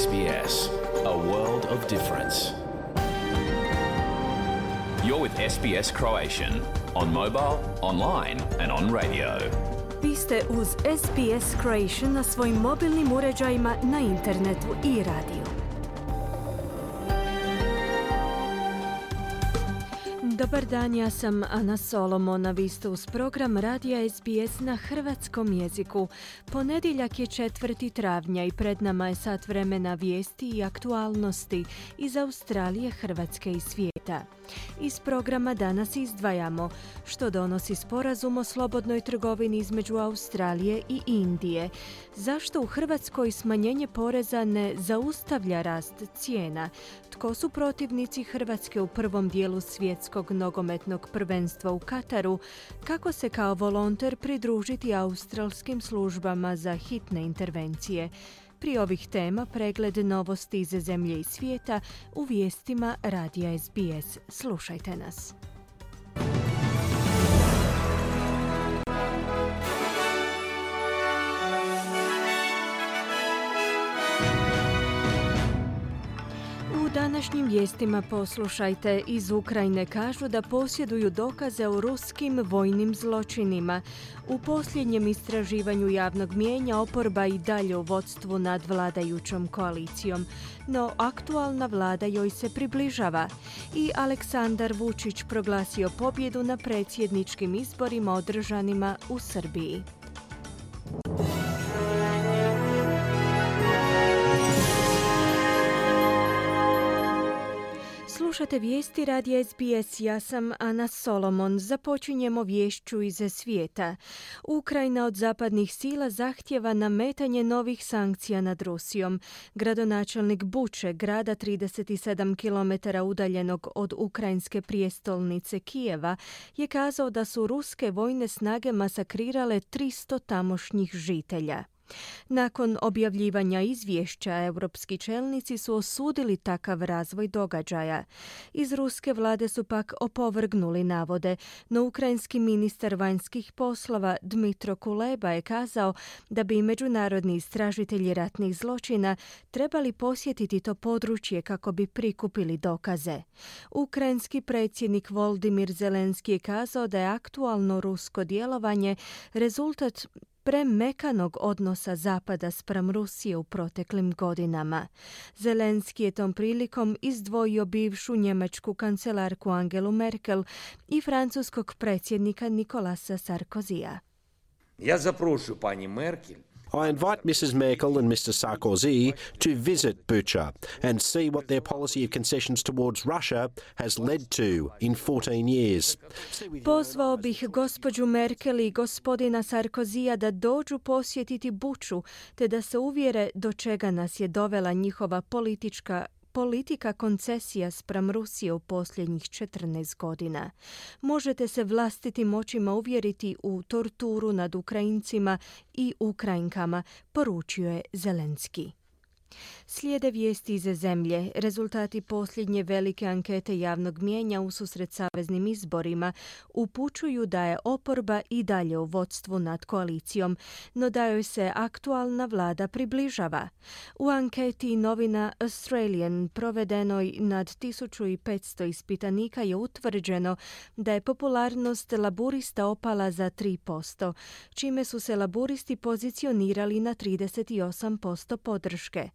SBS, a world of difference. You're with SBS Croatian on mobile, online and on radio. Vi ste uz SBS Croatian na svojim mobilnim uređajima, na internetu i radiju. Dobar dan, ja sam Ana Solomon, a vi ste uz program Radija SBS na hrvatskom jeziku. Ponedjeljak je 4. travnja i pred nama je sat vremena vijesti i aktualnosti iz Australije, Hrvatske i svijeta. Iz programa danas izdvajamo što donosi sporazum o slobodnoj trgovini između Australije i Indije, zašto u Hrvatskoj smanjenje poreza ne zaustavlja rast cijena, tko su protivnici Hrvatske u prvom dijelu svjetskog nogometnog prvenstva u Kataru, kako se kao volonter pridružiti australskim službama za hitne intervencije. Prije ovih tema pregled novosti iz zemlje i svijeta u vijestima Radija SBS. Slušajte nas. U današnjim vijestima poslušajte, iz Ukrajine kažu da posjeduju dokaze o ruskim vojnim zločinima. U posljednjem istraživanju javnog mijenja oporba i dalje u vodstvu nad vladajućom koalicijom, no aktualna vlada joj se približava. I Aleksandar Vučić proglasio pobjedu na predsjedničkim izborima održanima u Srbiji. Slušate vijesti Radija SBS, ja sam Ana Solomon. Započinjemo viješću iz svijeta. Ukrajina od zapadnih sila zahtjeva nametanje novih sankcija nad Rusijom. Gradonačelnik Buče, grada 37 km udaljenog od ukrajinske prijestolnice Kijeva, je kazao da su ruske vojne snage masakrirale 300 tamošnjih žitelja. Nakon objavljivanja izvješća, europski čelnici su osudili takav razvoj događaja. Iz ruske vlade su pak opovrgnuli navode, no ukrajinski ministar vanjskih poslova Dmitro Kuleba je kazao da bi međunarodni istražitelji ratnih zločina trebali posjetiti to područje kako bi prikupili dokaze. Ukrajinski predsjednik Volodymyr Zelenski je kazao da je aktualno rusko djelovanje rezultat premekanog odnosa Zapada spram Rusije u proteklim godinama. Zelenski je tom prilikom izdvojio bivšu njemačku kancelarku Angelu Merkel i francuskog predsjednika Nicolasa Sarkozija. Ja zaprošu pani Merkel. I invite Mrs. Merkel and Mr. Sarkozy to visit Bucha and see what their policy of concessions towards Russia has led to in 14 years. Pozvao bih gospođu Merkel i gospodina Sarkozija da dođu posjetiti Buču, te da se uvjere do čega nas je dovela njihova politika koncesija spram Rusije u posljednjih 14 godina. Možete se vlastitim očima uvjeriti u torturu nad Ukrajincima i Ukrajinkama, poručio je Zelenski. Slijede vijesti iz zemlje. Rezultati posljednje velike ankete javnog mijenja ususret saveznim izborima upućuju da je oporba i dalje u vodstvu nad koalicijom, no da joj se aktualna vlada približava. U anketi novina Australian provedenoj nad 1500 ispitanika je utvrđeno da je popularnost laburista opala za 3%, čime su se laburisti pozicionirali na 38% podrške.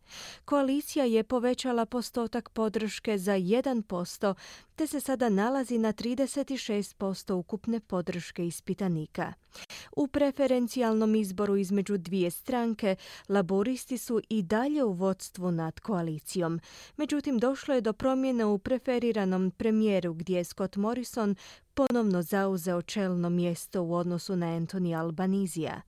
Koalicija je povećala postotak podrške za 1%, te se sada nalazi na 36% ukupne podrške ispitanika. U preferencijalnom izboru između dvije stranke, laboristi su i dalje u vodstvu nad koalicijom. Međutim, došlo je do promjene u preferiranom premijeru gdje je Scott Morrison ponovno zauzeo čelno mjesto u odnosu na Anthony Albanizija.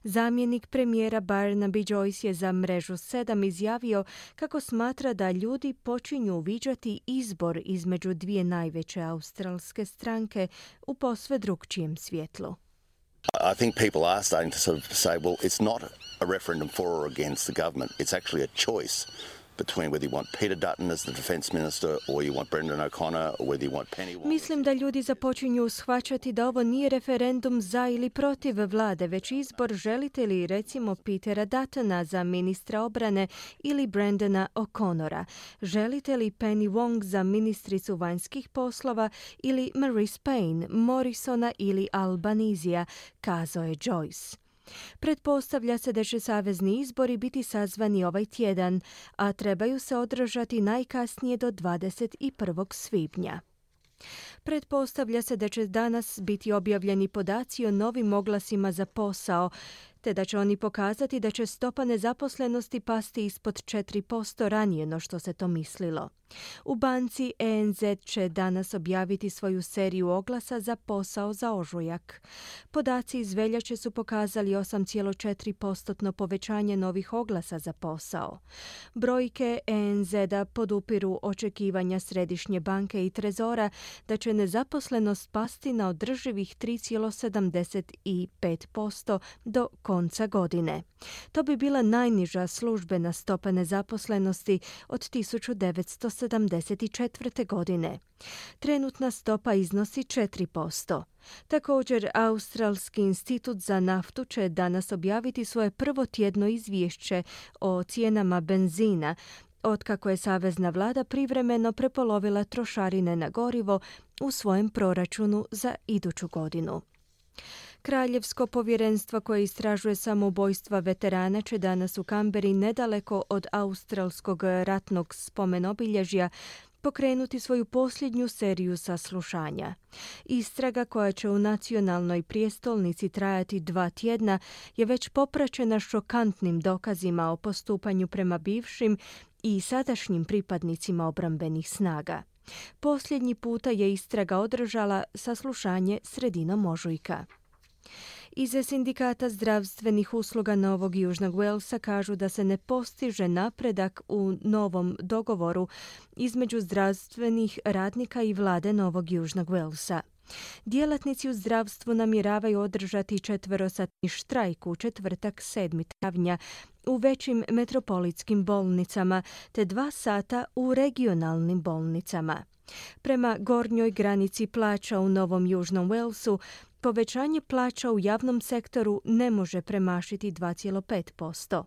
Zamjenik premijera Barnaby Joyce je za mrežu 7 izjavio kako smatra da ljudi počinju uviđati izbor između dvije najveće australske stranke u posve drukčijem svjetlu. I think people are starting to sort of say, well, it's not a referendum for or against the government. It's actually a choice between whether you want Peter Dutton as the Defence Minister or you want Brendan O'Connor or whether you want Penny Wong. Mislim da ljudi započinju shvaćati da ovo nije referendum za ili protiv vlade, već izbor želite li recimo Petera Duttona za ministra obrane ili Brendana O'Connora. Želite li Penny Wong za ministricu vanjskih poslova ili Marise Payne, Morrisona ili Albanizija, kazao je Joyce. Pretpostavlja se da će savezni izbori biti sazvani ovaj tjedan, a trebaju se održati najkasnije do 21. svibnja. Pretpostavlja se da će danas biti objavljeni podaci o novim oglasima za posao, te da će oni pokazati da će stopa nezaposlenosti pasti ispod 4% ranije no što se to mislilo. U banci ENZ će danas objaviti svoju seriju oglasa za posao za ožujak. Podaci iz veljače su pokazali 8,4% povećanje novih oglasa za posao. Brojke ENZ-a podupiru očekivanja Središnje banke i Trezora da će nezaposlenost pasti na održivih 3,75% do konca godine. To bi bila najniža službena stopa nezaposlenosti od 1974. godine. Trenutna stopa iznosi 4%. Također, Australski institut za naftu će danas objaviti svoje prvo tjedno izvješće o cijenama benzina, otkako je savezna vlada privremeno prepolovila trošarine na gorivo u svojem proračunu za iduću godinu. Kraljevsko povjerenstvo koje istražuje samoubojstva veterana će danas u Kamberi, nedaleko od australskog ratnog spomenobilježja, pokrenuti svoju posljednju seriju saslušanja. Istraga, koja će u nacionalnoj prijestolnici trajati 2 tjedna, je već popraćena šokantnim dokazima o postupanju prema bivšim i sadašnjim pripadnicima obrambenih snaga. Posljednji puta je istraga održala saslušanje sredinom ožujka. Iz sindikata zdravstvenih usluga Novog Južnog Walesa kažu da se ne postiže napredak u novom dogovoru između zdravstvenih radnika i vlade Novog Južnog Walesa. Djelatnici u zdravstvu namjeravaju održati 4-satni štrajk u četvrtak 7. travnja u većim metropolitskim bolnicama te 2 sata u regionalnim bolnicama. Prema gornjoj granici plaća u Novom Južnom Walesu, povećanje plaća u javnom sektoru ne može premašiti 2,5%.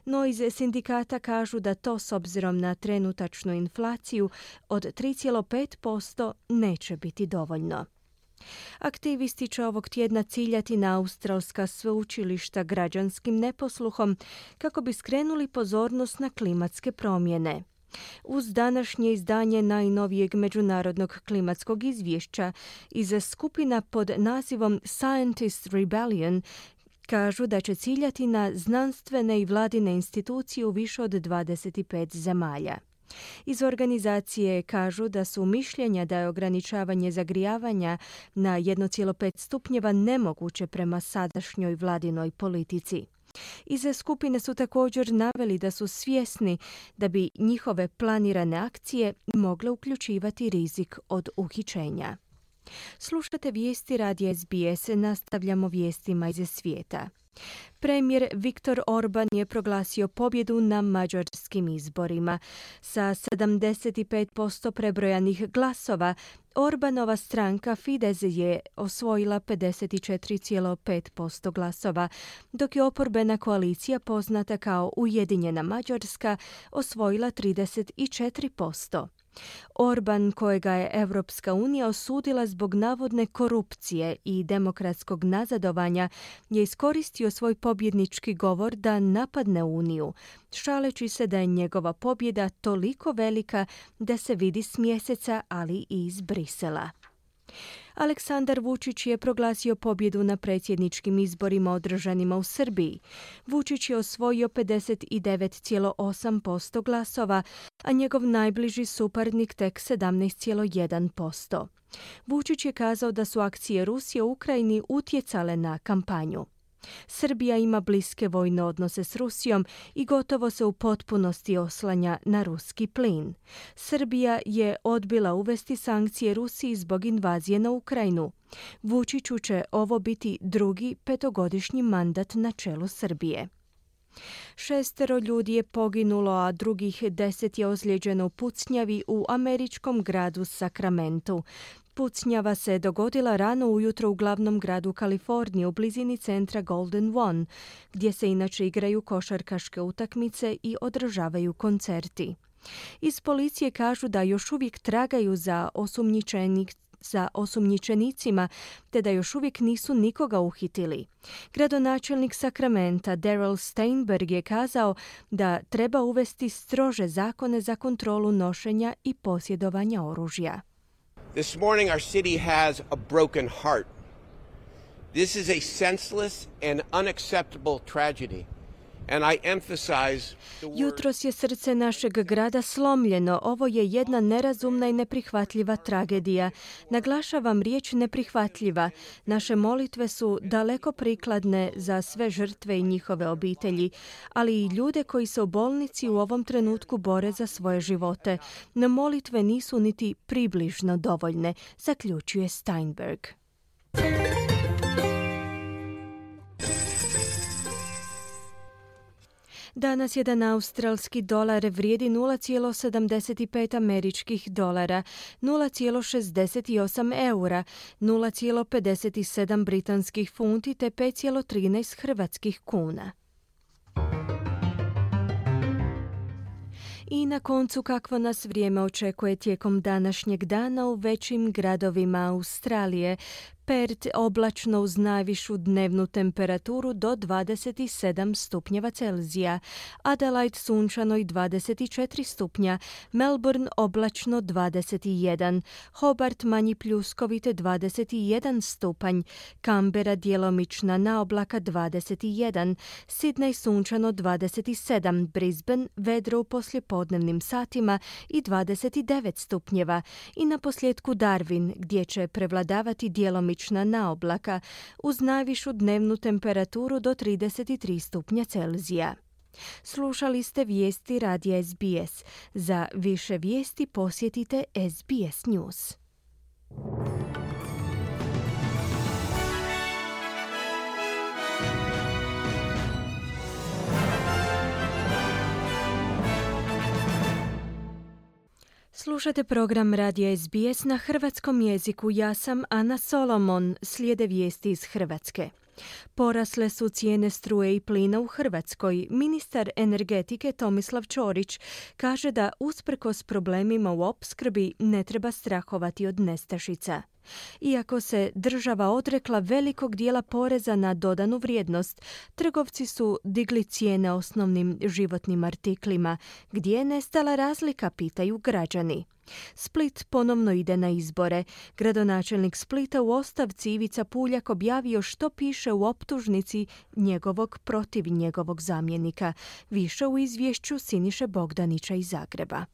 No iz sindikata kažu da to s obzirom na trenutačnu inflaciju od 3,5% neće biti dovoljno. Aktivisti će ovog tjedna ciljati na australska sveučilišta građanskim neposluhom kako bi skrenuli pozornost na klimatske promjene. Uz današnje izdanje najnovijeg međunarodnog klimatskog izvješća iz skupina pod nazivom Scientist Rebellion kažu da će ciljati na znanstvene i vladine institucije u više od 25 zemalja. Iz organizacije kažu da su mišljenja da je ograničavanje zagrijavanja na 1,5 stupnjeva nemoguće prema sadašnjoj vladinoj politici. Iz skupine su također naveli da su svjesni da bi njihove planirane akcije mogle uključivati rizik od uhićenja. Slušate vijesti radija SBS, nastavljamo vijestima iz svijeta. Premijer Viktor Orban je proglasio pobjedu na mađarskim izborima. Sa 75% prebrojanih glasova, Orbanova stranka Fidesz je osvojila 54,5% glasova, dok je oporbena koalicija poznata kao Ujedinjena Mađarska osvojila 34%. Orban, kojega je Europska unija osudila zbog navodne korupcije i demokratskog nazadovanja, je iskoristio svoj pobjednički govor da napadne Uniju, šaleći se da je njegova pobjeda toliko velika da se vidi s mjeseca, ali i iz Brisela. Aleksandar Vučić je proglasio pobjedu na predsjedničkim izborima održanima u Srbiji. Vučić je osvojio 59,8% glasova, a njegov najbliži suparnik tek 17,1%. Vučić je kazao da su akcije Rusije u Ukrajini utjecale na kampanju. Srbija ima bliske vojne odnose s Rusijom i gotovo se u potpunosti oslanja na ruski plin. Srbija je odbila uvesti sankcije Rusiji zbog invazije na Ukrajinu. Vučiću će ovo biti drugi 5-godišnji mandat na čelu Srbije. 6 ljudi je poginulo, a drugih 10 je ozlijeđeno u pucnjavi u američkom gradu Sacramentu. Pucnjava se dogodila rano ujutro u glavnom gradu Kalifornije u blizini centra Golden One, gdje se inače igraju košarkaške utakmice i održavaju koncerti. Iz policije kažu da još uvijek tragaju za osumnjičenicima, te da još uvijek nisu nikoga uhitili. Gradonačelnik Sacramenta Darrell Steinberg je kazao da treba uvesti strože zakone za kontrolu nošenja i posjedovanja oružja. This morning our city has a broken heart. This is a senseless and unacceptable tragedy. And I emphasize the word... Jutros je srce našeg grada slomljeno. Ovo je jedna nerazumna i neprihvatljiva tragedija. Naglašavam riječ neprihvatljiva. Naše molitve su daleko prikladne za sve žrtve i njihove obitelji, ali i ljude koji se u bolnici u ovom trenutku bore za svoje živote. No molitve nisu niti približno dovoljne, zaključuje Steinberg. Danas jedan australski dolar vrijedi 0,75 američkih dolara, 0,68 eura, 0,57 britanskih funti te 5,13 hrvatskih kuna. I na koncu kakvo nas vrijeme očekuje tijekom današnjeg dana u većim gradovima Australije. Perth oblačno uz najvišu dnevnu temperaturu do 27 stupnjeva Celzija, Adelaide sunčano i 24 stupnja, Melbourne oblačno 21, Hobart manji pljuskovite 21 stupanj, Canberra djelomična naoblaka 21, Sydney sunčano 27, Brisbane vedro u poslijepodnevnim satima i 29 stupnjeva i na posljedku Darwin gdje će prevladavati djelomična naoblaka uz najvišu dnevnu temperaturu do 33 stupnja Celzija. Slušali ste vijesti radija SBS. Za više vijesti posjetite SBS News. Slušate program radija SBS na hrvatskom jeziku. Ja sam Ana Solomon. Slijede vijesti iz Hrvatske. Porasle su cijene struje i plina u Hrvatskoj. Ministar energetike Tomislav Ćorić kaže da usprkos problemima u opskrbi ne treba strahovati od nestašica. Iako se država odrekla velikog dijela poreza na dodanu vrijednost, trgovci su digli cijene osnovnim životnim artiklima. Gdje je nestala razlika, pitaju građani. Split ponovno ide na izbore. Gradonačelnik Splita u ostavci Ivica Puljak objavio što piše u optužnici njegovog protiv njegovog zamjenika. Više u izvješću Siniše Bogdanića iz Zagreba.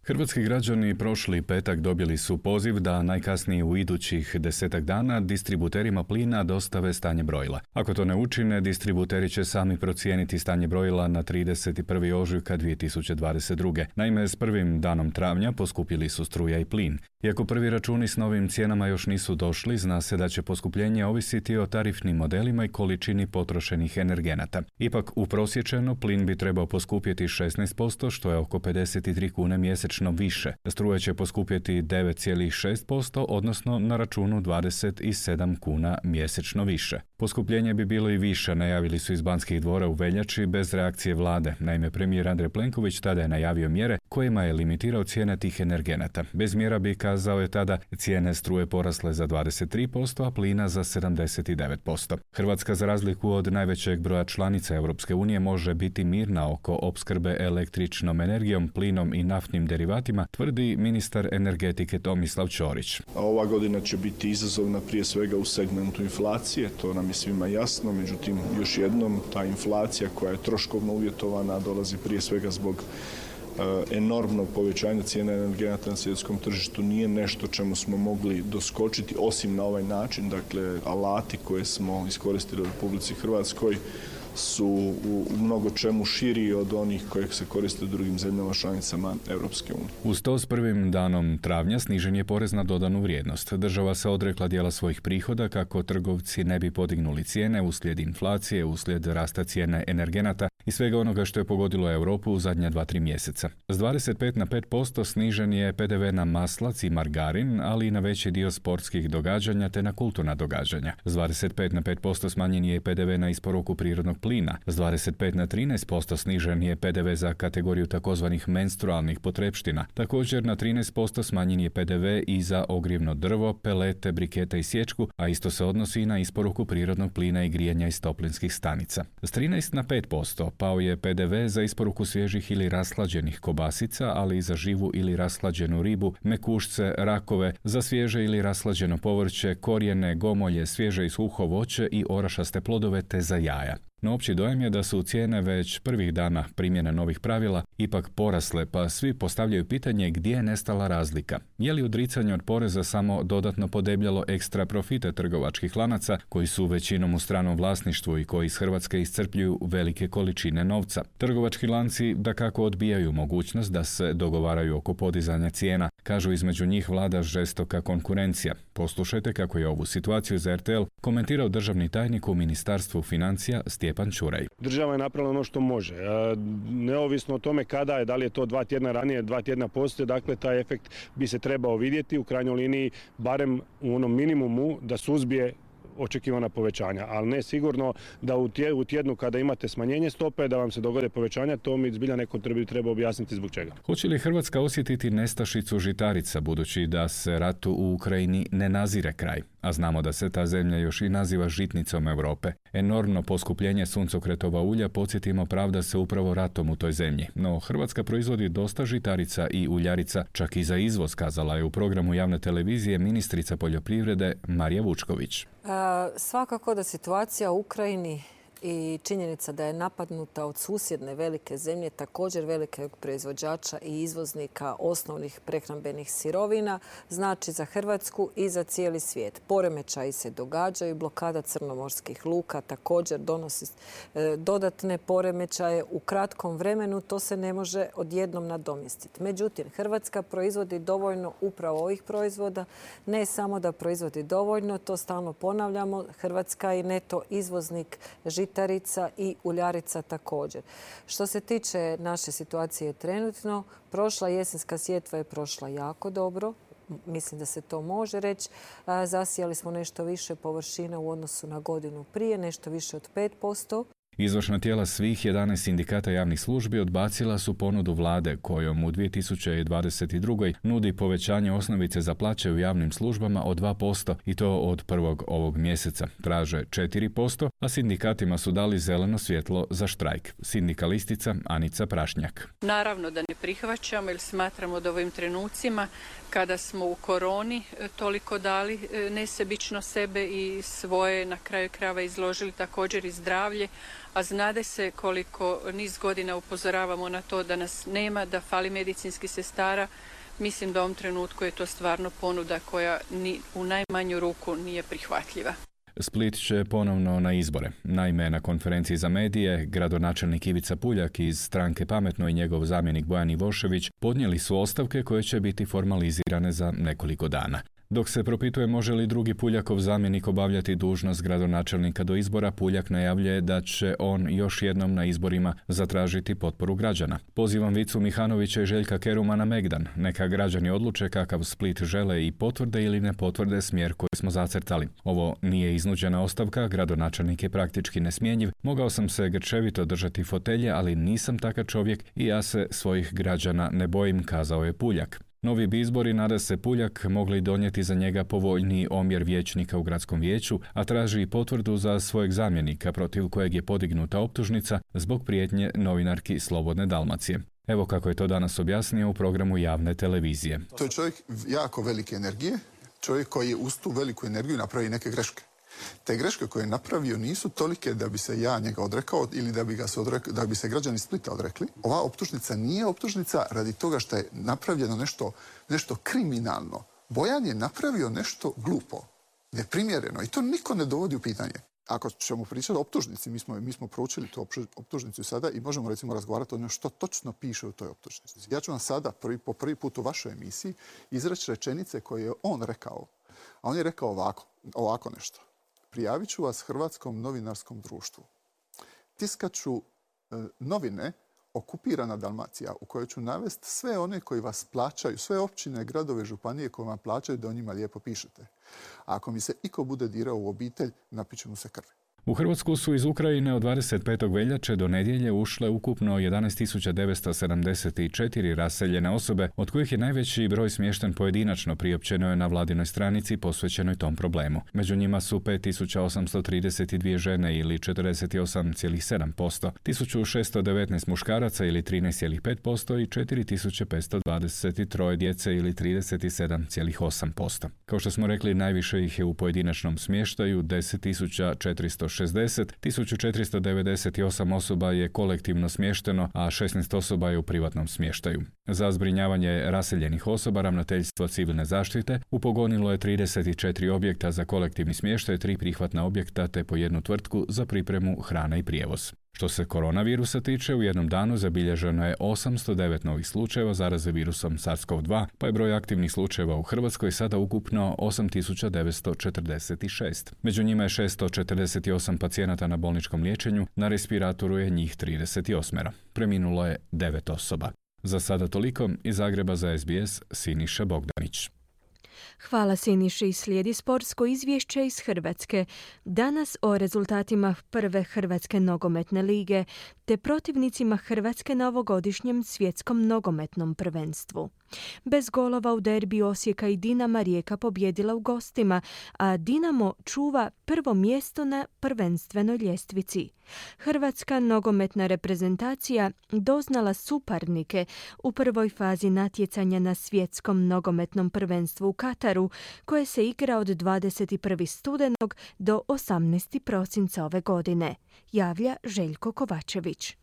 Hrvatski građani prošli petak dobili su poziv da najkasnije u idućih 10 dana distributerima plina dostave stanje brojila. Ako to ne učine, distributeri će sami procijeniti stanje brojila na 31. ožujka 2022. Naime, s prvim danom travnja poskupili su struja i plin. Iako prvi računi s novim cijenama još nisu došli, zna se da će poskupljenje ovisiti o tarifnim modelima i količini potrošenih energenata. Ipak, uprosječeno, plin bi trebao poskupjeti 16%, što je oko 53 kune mjesečno više. Struja će poskupjeti 9,6%, odnosno na računu 27 kuna mjesečno više. Poskupljenje bi bilo i više, najavili su iz Banskih dvora u veljači bez reakcije vlade. Naime, premijer Andrej Plenković tada je najavio mjere kojima je limitirao cijene tih energenata. Bez mjera bi, kazao je tada, cijene struje porasle za 23%, a plina za 79%. Hrvatska, za razliku od najvećeg broja članica Europske unije, može biti mirna oko opskrbe električnom energijom, plinom i naftnim derivatima, tvrdi ministar energetike Tomislav Ćorić. Ova godina će biti izazovna prije svega u segmentu inflacije, to nam je svima jasno, međutim još jednom ta inflacija koja je troškovno uvjetovana dolazi prije svega zbog enormnog povećanja cijena energenata na svjetskom tržištu, nije nešto čemu smo mogli doskočiti osim na ovaj način. Dakle, alati koje smo iskoristili u Republici Hrvatskoj su u mnogo čemu širi od onih koje se koriste u drugim zemljama članicama Europske unije. Uz to s prvim danom travnja snižen je porez na dodanu vrijednost. Država se odrekla dijela svojih prihoda kako trgovci ne bi podignuli cijene uslijed inflacije, uslijed rasta cijene energenata i svega onoga što je pogodilo Europu u zadnja 2-3 mjeseca. S 25 na 5% snižen je PDV na maslac i margarin, ali i na veći dio sportskih događanja te na kulturna događanja. S 25 na 5% smanjen je PDV na isporuku prirodnog plina. S 25 na 13% snižen je PDV za kategoriju takozvanih menstrualnih potrepština. Također na 13% smanjen je PDV i za ogrjevno drvo, pelete, brikete i sječku, a isto se odnosi i na isporuku prirodnog plina i grijanja iz toplinskih stanica. S 13 na 5% pao je PDV za isporuku svježih ili rashlađenih kobasica, ali i za živu ili rashlađenu ribu, mekušce, rakove, za svježe ili rashlađeno povrće, korijene, gomolje, svježe i suho voće i orašaste plodove te za jaja. No opći dojam je da su cijene već prvih dana primjene novih pravila ipak porasle, pa svi postavljaju pitanje gdje je nestala razlika. Je li odricanje od poreza samo dodatno podebljalo ekstra profite trgovačkih lanaca koji su većinom u stranom vlasništvu i koji iz Hrvatske iscrpljuju velike količine novca? Trgovački lanci dakako odbijaju mogućnost da se dogovaraju oko podizanja cijena. Kažu između njih vlada žestoka konkurencija. Poslušajte kako je ovu situaciju za RTL komentirao državni tajnik u Ministarstvu financija Stjepan Čuraj. Država je napravila ono što može. Neovisno o tome kada je, da li je to 2 tjedna ranije, 2 tjedna poslije, dakle taj efekt bi se trebao vidjeti u krajnjoj liniji, barem u onom minimumu da suzbije očekivana povećanja, ali ne sigurno da u tjednu kada imate smanjenje stope da vam se dogode povećanja, to mi zbilja neko treba objasniti zbog čega. Hoće li Hrvatska osjetiti nestašicu žitarica budući da se ratu u Ukrajini ne nazire kraj? A znamo da se ta zemlja još i naziva žitnicom Europe. Enormno poskupljenje suncokretova ulja, podsjetimo, pravda se upravo ratom u toj zemlji. No Hrvatska proizvodi dosta žitarica i uljarica, čak i za izvoz, kazala je u programu javne televizije ministrica poljoprivrede Marija Vučković. Svakako da situacija u Ukrajini i činjenica da je napadnuta od susjedne velike zemlje, također velikog proizvođača i izvoznika osnovnih prehrambenih sirovina, znači za Hrvatsku i za cijeli svijet. Poremećaji se događaju, blokada crnomorskih luka također donosi dodatne poremećaje u kratkom vremenu, to se ne može odjednom nadomjestiti. Međutim, Hrvatska proizvodi dovoljno upravo ovih proizvoda, ne samo da proizvodi dovoljno, to stalno ponavljamo, Hrvatska je neto izvoznik žitarica i uljarica također. Što se tiče naše situacije trenutno, prošla jesenska sjetva je prošla jako dobro. Mislim da se to može reći. Zasijali smo nešto više površina u odnosu na godinu prije, nešto više od 5%. Izvršna tijela svih 11 sindikata javnih službi odbacila su ponudu vlade kojom u 2022. nudi povećanje osnovice za plaće u javnim službama od 2% i to od prvog ovog mjeseca. Traže 4%, a sindikatima su dali zeleno svjetlo za štrajk. Sindikalistica Anica Prašnjak. Naravno da ne prihvaćamo jer smatramo da u ovim trenucima kada smo u koroni toliko dali nesebično sebe i svoje na kraju krajeva izložili također i zdravlje, a znade se koliko niz godina upozoravamo na to da nas nema, da fali medicinskih sestara. Mislim da u ovom trenutku je to stvarno ponuda koja ni u najmanju ruku nije prihvatljiva. Split će ponovno na izbore. Naime, na konferenciji za medije, gradonačelnik Ivica Puljak iz stranke Pametno i njegov zamjenik Bojan Ivošević podnijeli su ostavke koje će biti formalizirane za nekoliko dana. Dok se propituje može li drugi Puljakov zamjenik obavljati dužnost gradonačelnika do izbora, Puljak najavljuje da će on još jednom na izborima zatražiti potporu građana. Pozivam Vicu Mihanovića i Željka Keruma na Megdan. Neka građani odluče kakav Split žele i potvrde ili ne potvrde smjer koji smo zacrtali. Ovo nije iznuđena ostavka, gradonačelnik je praktički nesmjenjiv. Mogao sam se grčevito držati fotelje, ali nisam takav čovjek i ja se svojih građana ne bojim, kazao je Puljak. Novi bi izbori, nada se Puljak, mogli donijeti za njega povoljniji omjer vijećnika u gradskom vijeću, a traži i potvrdu za svojeg zamjenika protiv kojeg je podignuta optužnica zbog prijetnje novinarki Slobodne Dalmacije. Evo kako je to danas objasnio u programu javne televizije. To je čovjek jako velike energije, čovjek koji je uz tu veliku energiju napravi neke greške. Te greške koje je napravio nisu tolike da bi se ja njega odrekao ili da bi se građani Splita odrekli. Ova optužnica nije optužnica radi toga što je napravljeno nešto kriminalno. Bojan je napravio nešto glupo, neprimjereno i to niko ne dovodi u pitanje. ako ćemo pričati o optužnici, mi smo proučili tu optužnicu sada i možemo recimo razgovarati o njoj što točno piše u toj optužnici. Ja ću vam sada po prvi put u vašoj emisiji izreći rečenice koje je on rekao. A on je rekao ovako nešto. Prijavit ću vas Hrvatskom novinarskom društvu. Tiskat ću novine Okupirana Dalmacija, u kojoj ću navesti sve one koji vas plaćaju, sve općine, gradove, županije koje vam plaćaju da o njima lijepo pišete. A ako mi se iko bude dirao u obitelj, napiće mu se krvi. U Hrvatsku su iz Ukrajine od 25. veljače do nedjelje ušle ukupno 11.974 raseljene osobe, od kojih je najveći broj smješten pojedinačno, priopćeno je na vladinoj stranici posvećenoj tom problemu. Među njima su 5.832 žene ili 48,7%, 1.619 muškaraca ili 13,5% i 4.523 djece ili 37,8%. Kao što smo rekli, najviše ih je u pojedinačnom smještaju, 10.460, 1.498 osoba je kolektivno smješteno, a 16 osoba je u privatnom smještaju. Za zbrinjavanje raseljenih osoba Ravnateljstvo civilne zaštite upogonilo je 34 objekta za kolektivni smještaj, 3 prihvatna objekta te po jednu tvrtku za pripremu hrane i prijevoz. Što se koronavirusa tiče, u jednom danu zabilježeno je 809 novih slučajeva zaraze virusom SARS-CoV-2, pa je broj aktivnih slučajeva u Hrvatskoj sada ukupno 8.946. Među njima je 648 pacijenata na bolničkom liječenju, na respiratoru je njih 38. Preminulo je 9 osoba. Za sada toliko, iz Zagreba za SBS Siniša Bogdanić. Hvala Siniši. Slijedi sportsko izvješće iz Hrvatske. Danas o rezultatima prve Hrvatske nogometne lige te protivnicima Hrvatske na ovogodišnjem svjetskom nogometnom prvenstvu. Bez golova u derbiju Osijeka i Dinama Rijeka pobjedila u gostima, a Dinamo čuva prvo mjesto na prvenstvenoj ljestvici. Hrvatska nogometna reprezentacija doznala suparnike u prvoj fazi natjecanja na svjetskom nogometnom prvenstvu u Kataru, koje se igra od 21. studenog do 18. prosinca ove godine, javlja Željko Kovačević.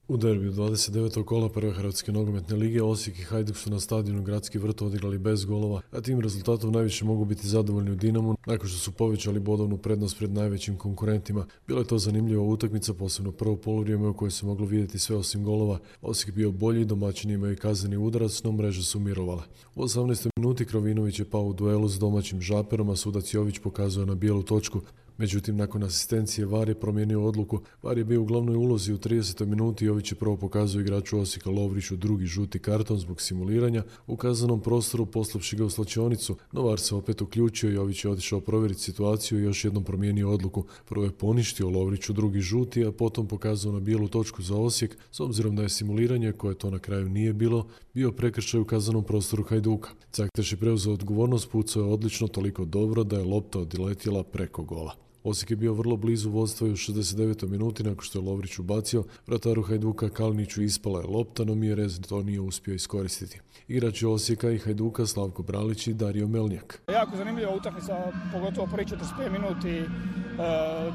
U derbiju 29. kola prve Hrvatske nogometne lige Osijek i Hajduk su na stadionu Gradski vrt odigrali bez golova, a tim rezultatom najviše mogu biti zadovoljni u Dinamu nakon što su povećali bodovnu prednost pred najvećim konkurentima. Bila je to zanimljiva utakmica, posebno prvo poluvrijeme u kojoj se moglo vidjeti sve osim golova. Osijek bio bolji, domaćini imaju kazneni udarac, no mreže su mirovale. U 18. minuti Krovinović je pao u duelu s domaćim Žaperom, a sudac Jović pokazuje na bijelu točku. Međutim, nakon asistencije VAR je promijenio odluku. VAR je bio u glavnoj ulozi u 30. minuti. Jović je prvo pokazao igraču Osijeka Lovriću drugi žuti karton zbog simuliranja u kaznenom prostoru, poslavši ga u slačionicu, no VAR se opet uključio. Jović je otišao provjeriti situaciju i još jednom promijenio odluku. Prvo je poništio Lovriću drugi žuti, a potom pokazao na bijelu točku za Osijek, s obzirom da je simuliranje, koje to na kraju nije bilo, bio prekršaj u kaznenom prostoru Hajduka. Cakteš je preuzeo odgovornost, pucao je odlično, toliko dobro da je lopta odletjela preko gola. Osijek je bio vrlo blizu vodstva i u 69. minuti nakon što je Lovrić ubacio, vrataru Hajduka Kaliniću ispala je lopta, no Mjerez to nije uspio iskoristiti. Igrači Osijeka i Hajduka Slavko Bralić i Dario Melnjak. Jako zanimljiva utakmica, pogotovo prvi 45 minuti,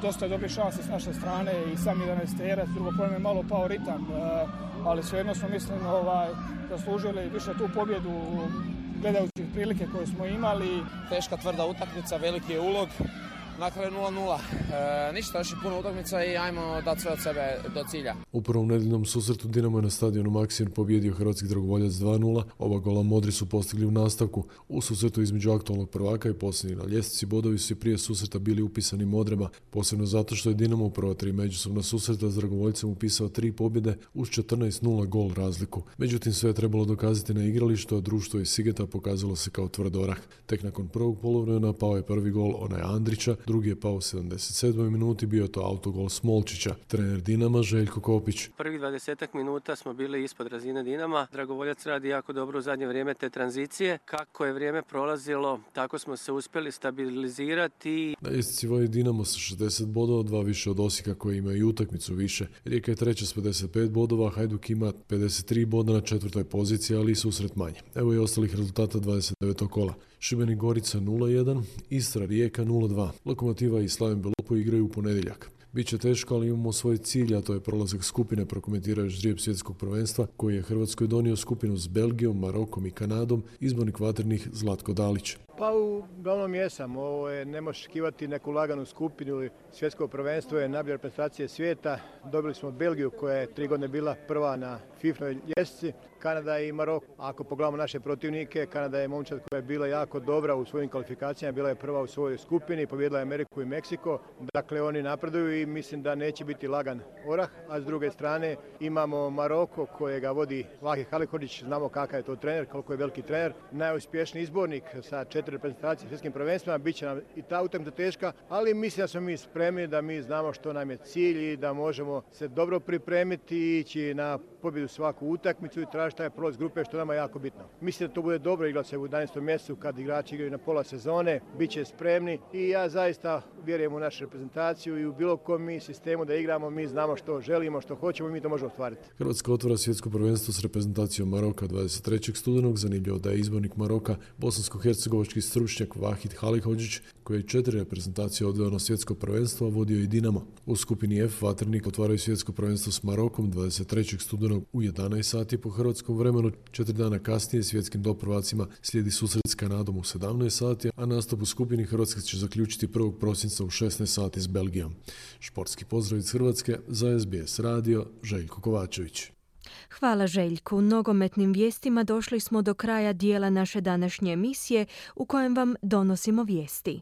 dosta je dobrih šansi s naše strane i sam 11-terac, drugo pojem je malo pao ritam, ali svejedno smo mislim zaslužili više tu pobjedu gledajući prilike koje smo imali. Teška tvrda utakmica, veliki je ulog. Na kraju 0-0. Ništa, još je puno utakmica i ajmo dati sve od sebe do cilja. U prvom nedeljnom susretu Dinamo je na stadionu Maksimir pobjedio hrvatski dragovoljac 2-0. Oba gola Modri su postigli u nastavku. U susretu između aktualnog prvaka i posljednji na ljestvici bodovi su i prije susreta bili upisani Modrema, posebno zato što je Dinamo u prva 3 međusobna susreta s dragovoljcem upisao 3 pobjede uz 14-0 gol razliku. Međutim, sve je trebalo dokazati na igralištu, a društvo iz Sigeta pokazalo se kao tvrd orah. Tek nakon prvog poluvremena pao je prvi gol onaj Andrića, drugi je pao u 77. minuti, bio je to autogol Smolčića. Trener Dinama Željko Kopić. Prvih 20 minuta smo bili ispod razine Dinama. Dragovoljac radi jako dobro u zadnje vrijeme te tranzicije. Kako je vrijeme prolazilo, tako smo se uspjeli stabilizirati. Na ljestvici vodi Dinamo sa 60 bodova, 2 više od Osijeka koji ima i utakmicu više. Rijeka je treća s 55 bodova, Hajduk ima 53 boda na 4. poziciji, ali i susret manje. Evo i ostalih rezultata 29. kola. Šibenik Gorica 0-1, Istra Rijeka 0-2. Lokomotiva i Slaven Belopo igraju u ponedjeljak. Biće teško, ali imamo svoj cilj, a to je prolazak skupine, prokomentirao ždrijeb svjetskog prvenstva, koji je Hrvatskoj donio skupinu s Belgijom, Marokom i Kanadom, izbornik vatrenih Zlatko Dalić. Pa uglavnom jesam. Ovo je, ne možeš očekivati neku laganu skupinu. Svjetsko prvenstvo je najbolja reprezentacija svijeta. Dobili smo Belgiju koja je 3 godine bila prva na FIFA-noj ljestvici. Kanada i Maroko. Ako pogledamo naše protivnike, Kanada je momčad koja je bila jako dobra u svojim kvalifikacijama, bila je prva u svojoj skupini, pobijedila je Ameriku i Meksiko. Dakle, oni napreduju i mislim da neće biti lagan orah. A s druge strane imamo Maroko kojega vodi Vahi Halilhodžić, znamo kakav je to trener, koliko je veliki trener. Najuspješniji izbornik sa 4 reprezentacije svjetskim prvenstvima, bit će nam i ta utakmica teška, ali mislim da smo mi spremni, da mi znamo što nam je cilj i da možemo se dobro pripremiti i ići na pobjedu svaku utakmicu i tražiti taj prolaz grupe, što nama je jako bitno. Mislim da to bude dobro igrati se u 11. mjesecu kad igrači igraju na pola sezone, bit će spremni i ja zaista vjerujem u našu reprezentaciju i u bilo kom mi sistemu da igramo, mi znamo što želimo, što hoćemo i mi to možemo ostvariti. Hrvatska otvara svjetsko prvenstvo s reprezentacijom Maroka 23. studenog. Zanimljivo da je izbornik Maroka bosansko-hercegovački stručnjak Vahid Halilhodžić, koji je 4 reprezentacije odveo na svjetsko prvenstvo, a vodio i Dinamo. U skupini F Vatrenik otvaraju svjetsko prvenstvo s Marokom 23. studenog u 11 sati po hrvatskom vremenu. 4 dana kasnije svjetskim doprvacima slijedi susret s Kanadom u 17 sati, a nastup u skupini Hrvatska će zaključiti 1. prosinca u 16 sati s Belgijom. Športski pozdrav iz Hrvatske za SBS radio, Željko Kovačević. Hvala Željku. Nogometnim vijestima došli smo do kraja dijela naše današnje emisije u kojem vam donosimo vijesti.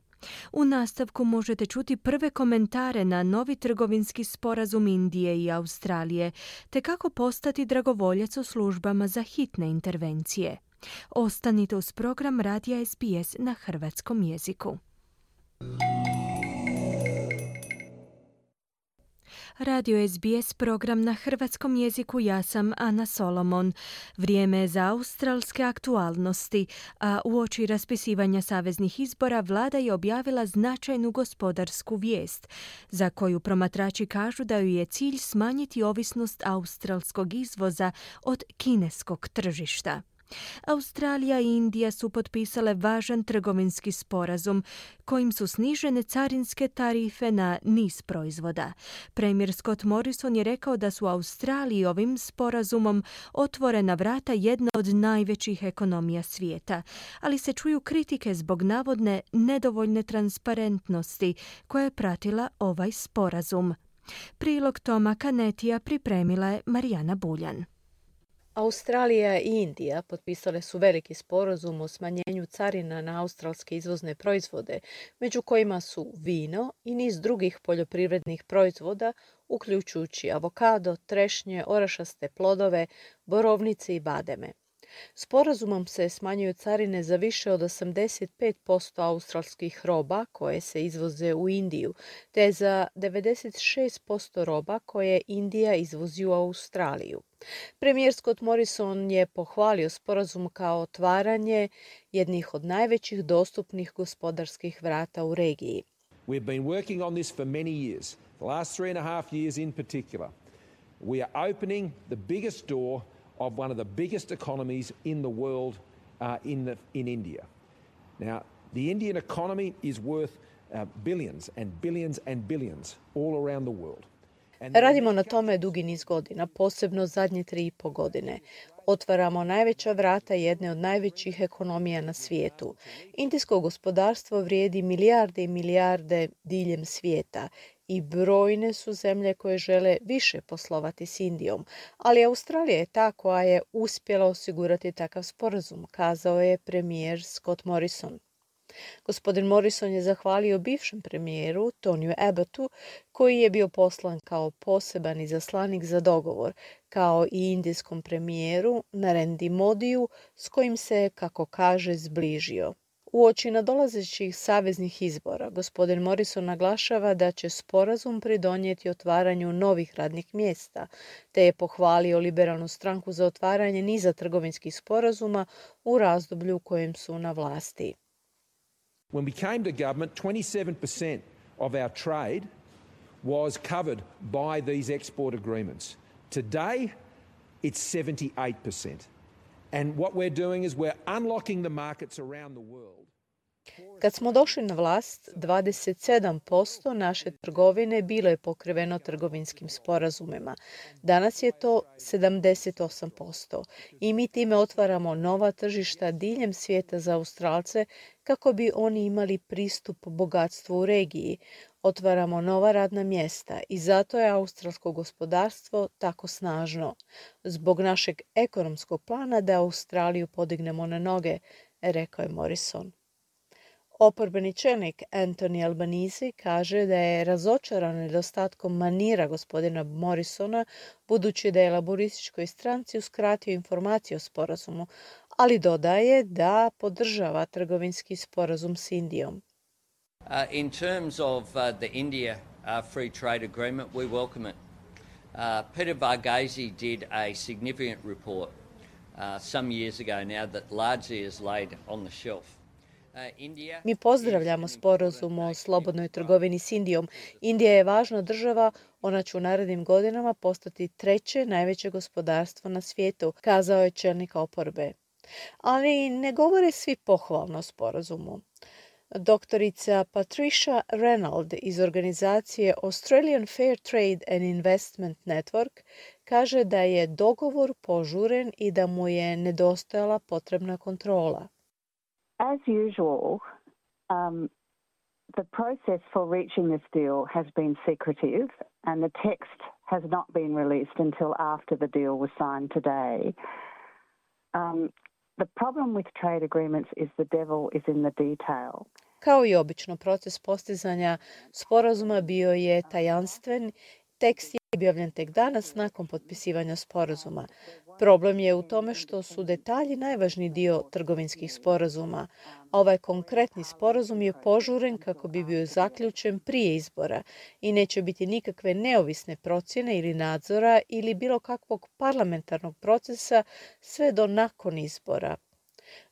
U nastavku možete čuti prve komentare na novi trgovinski sporazum Indije i Australije, te kako postati dragovoljac u službama za hitne intervencije. Ostanite uz program Radija SBS na hrvatskom jeziku. Radio SBS program na hrvatskom jeziku, ja sam Ana Solomon. Vrijeme je za australske aktualnosti, a uoči raspisivanja saveznih izbora vlada je objavila značajnu gospodarsku vijest, za koju promatrači kažu da ju je cilj smanjiti ovisnost australskog izvoza od kineskog tržišta. Australija i Indija su potpisale važan trgovinski sporazum kojim su snižene carinske tarife na niz proizvoda. Premijer Scott Morrison je rekao da su Australiji ovim sporazumom otvorena vrata jedna od najvećih ekonomija svijeta, ali se čuju kritike zbog navodne nedovoljne transparentnosti koja je pratila ovaj sporazum. Prilog Toma Kanetija pripremila je Marijana Buljan. Australija i Indija potpisale su veliki sporazum o smanjenju carina na australske izvozne proizvode, među kojima su vino i niz drugih poljoprivrednih proizvoda, uključujući avokado, trešnje, orašaste plodove, borovnice i bademe. Sporazumom se smanjuju carine za više od 85% australskih roba koje se izvoze u Indiju, te za 96% roba koje Indija izvozi u Australiju. Premijer Scott Morrison je pohvalio sporazum kao otvaranje jednih od najvećih dostupnih gospodarskih vrata u regiji. We've been working on this for many years, the last 3.5 years in particular. We are opening the biggest door of one of the biggest economies in the world in India. Now, the Indian economy is worth billions and billions and billions all around the world. Radimo na tome dugi niz godina, posebno zadnje 3,5 godine. Otvaramo najveća vrata jedne od najvećih ekonomija na svijetu. Indijsko gospodarstvo vrijedi milijarde i milijarde diljem svijeta i brojne su zemlje koje žele više poslovati s Indijom, ali Australija je ta koja je uspjela osigurati takav sporazum, kazao je premijer Scott Morrison. Gospodin Morrison je zahvalio bivšem premijeru Toniju Abbottu, koji je bio poslan kao poseban izaslanik za dogovor, kao i indijskom premijeru Narendi Modiju, s kojim se, kako kaže, zbližio. Uoči nadolazećih saveznih izbora, gospodin Morrison naglašava da će sporazum pridonijeti otvaranju novih radnih mjesta, te je pohvalio liberalnu stranku za otvaranje niza trgovinskih sporazuma u razdoblju u kojem su na vlasti. When we came to government, 27% of our trade was covered by these export agreements. Today, it's 78%. And what we're doing is we're unlocking the markets around the world. Kad smo došli na vlast, 27% naše trgovine bilo je pokriveno trgovinskim sporazumima. Danas je to 78% i mi time otvaramo nova tržišta diljem svijeta za Australce kako bi oni imali pristup bogatstvu u regiji. Otvaramo nova radna mjesta i zato je australsko gospodarstvo tako snažno. Zbog našeg ekonomskog plana da Australiju podignemo na noge, rekao je Morrison. Oporbeni čelnik Anthony Albanese kaže da je razočaran nedostatkom manira gospodina Morrisona, budući da je laborističkoj stranci uskratio informacije o sporazumu, ali dodaje da podržava trgovinski sporazum s Indijom. In terms of the India free trade agreement, we welcome it. Peter Varghese did a significant report some years ago now that largely is laid on the shelf. Mi pozdravljamo sporazum o slobodnoj trgovini s Indijom. Indija je važna država, ona će u narednim godinama postati treće najveće gospodarstvo na svijetu, kazao je čelnik oporbe. Ali ne govore svi pohvalno o sporazumu. Doktorica Patricia Reynolds iz organizacije Australian Fair Trade and Investment Network kaže da je dogovor požuren i da mu je nedostajala potrebna kontrola. As usual, the process for reaching this deal has been secretive and the text has not been released until after the deal was signed today. The problem with trade agreements is the devil is in the detail. Kao i obično, proces postizanja sporazuma bio je tajanstven. Tekst je objavljen tek danas nakon potpisivanja sporazuma. Problem je u tome što su detalji najvažniji dio trgovinskih sporazuma, a ovaj konkretni sporazum je požuren kako bi bio zaključen prije izbora i neće biti nikakve neovisne procjene ili nadzora ili bilo kakvog parlamentarnog procesa sve do nakon izbora.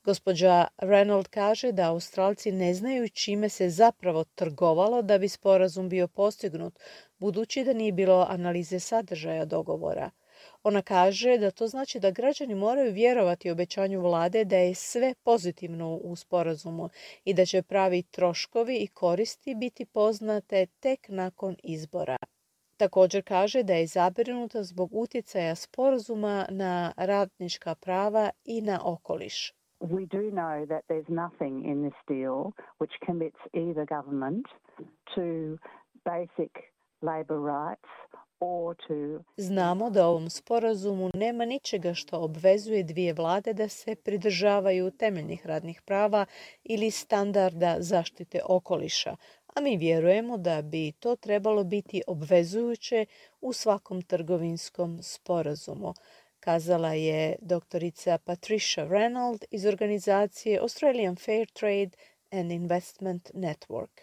Gospođa Reynolds kaže da Australci ne znaju čime se zapravo trgovalo da bi sporazum bio postignut, budući da nije bilo analize sadržaja dogovora. Ona kaže da to znači da građani moraju vjerovati obećanju vlade da je sve pozitivno u sporazumu i da će pravi troškovi i koristi biti poznate tek nakon izbora. Također kaže da je zabrinuta zbog utjecaja sporazuma na radnička prava i na okoliš. We do know that there's nothing in this deal which commits either government to basic labor rights or to... Znamo da u ovom sporazumu nema ničega što obvezuje dvije vlade da se pridržavaju temeljnih radnih prava ili standarda zaštite okoliša, a mi vjerujemo da bi to trebalo biti obvezujuće u svakom trgovinskom sporazumu, kazala je doktorica Patricia Reynolds iz organizacije Australian Fair Trade and Investment Network.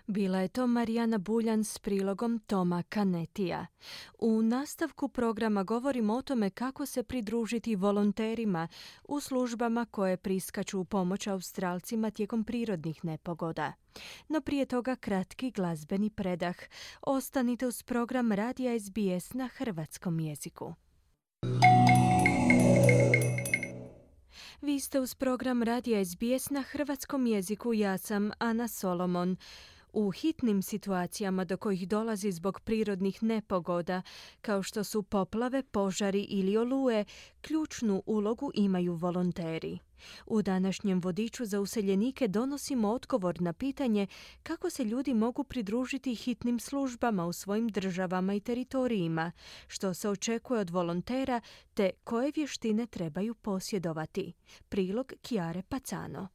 Bila je to Marijana Buljan s prilogom Toma Kanetija. U nastavku programa govorimo o tome kako se pridružiti volonterima u službama koje priskaču u pomoć Australcima tijekom prirodnih nepogoda. No prije toga kratki glazbeni predah. Ostanite uz program Radija SBS na hrvatskom jeziku. Vi ste uz program Radija SBS na hrvatskom jeziku, ja sam Ana Solomon. U hitnim situacijama do kojih dolazi zbog prirodnih nepogoda, kao što su poplave, požari ili oluje, ključnu ulogu imaju volonteri. U današnjem vodiču za useljenike donosimo odgovor na pitanje kako se ljudi mogu pridružiti hitnim službama u svojim državama i teritorijima, što se očekuje od volontera te koje vještine trebaju posjedovati. Prilog Chiare Pacano.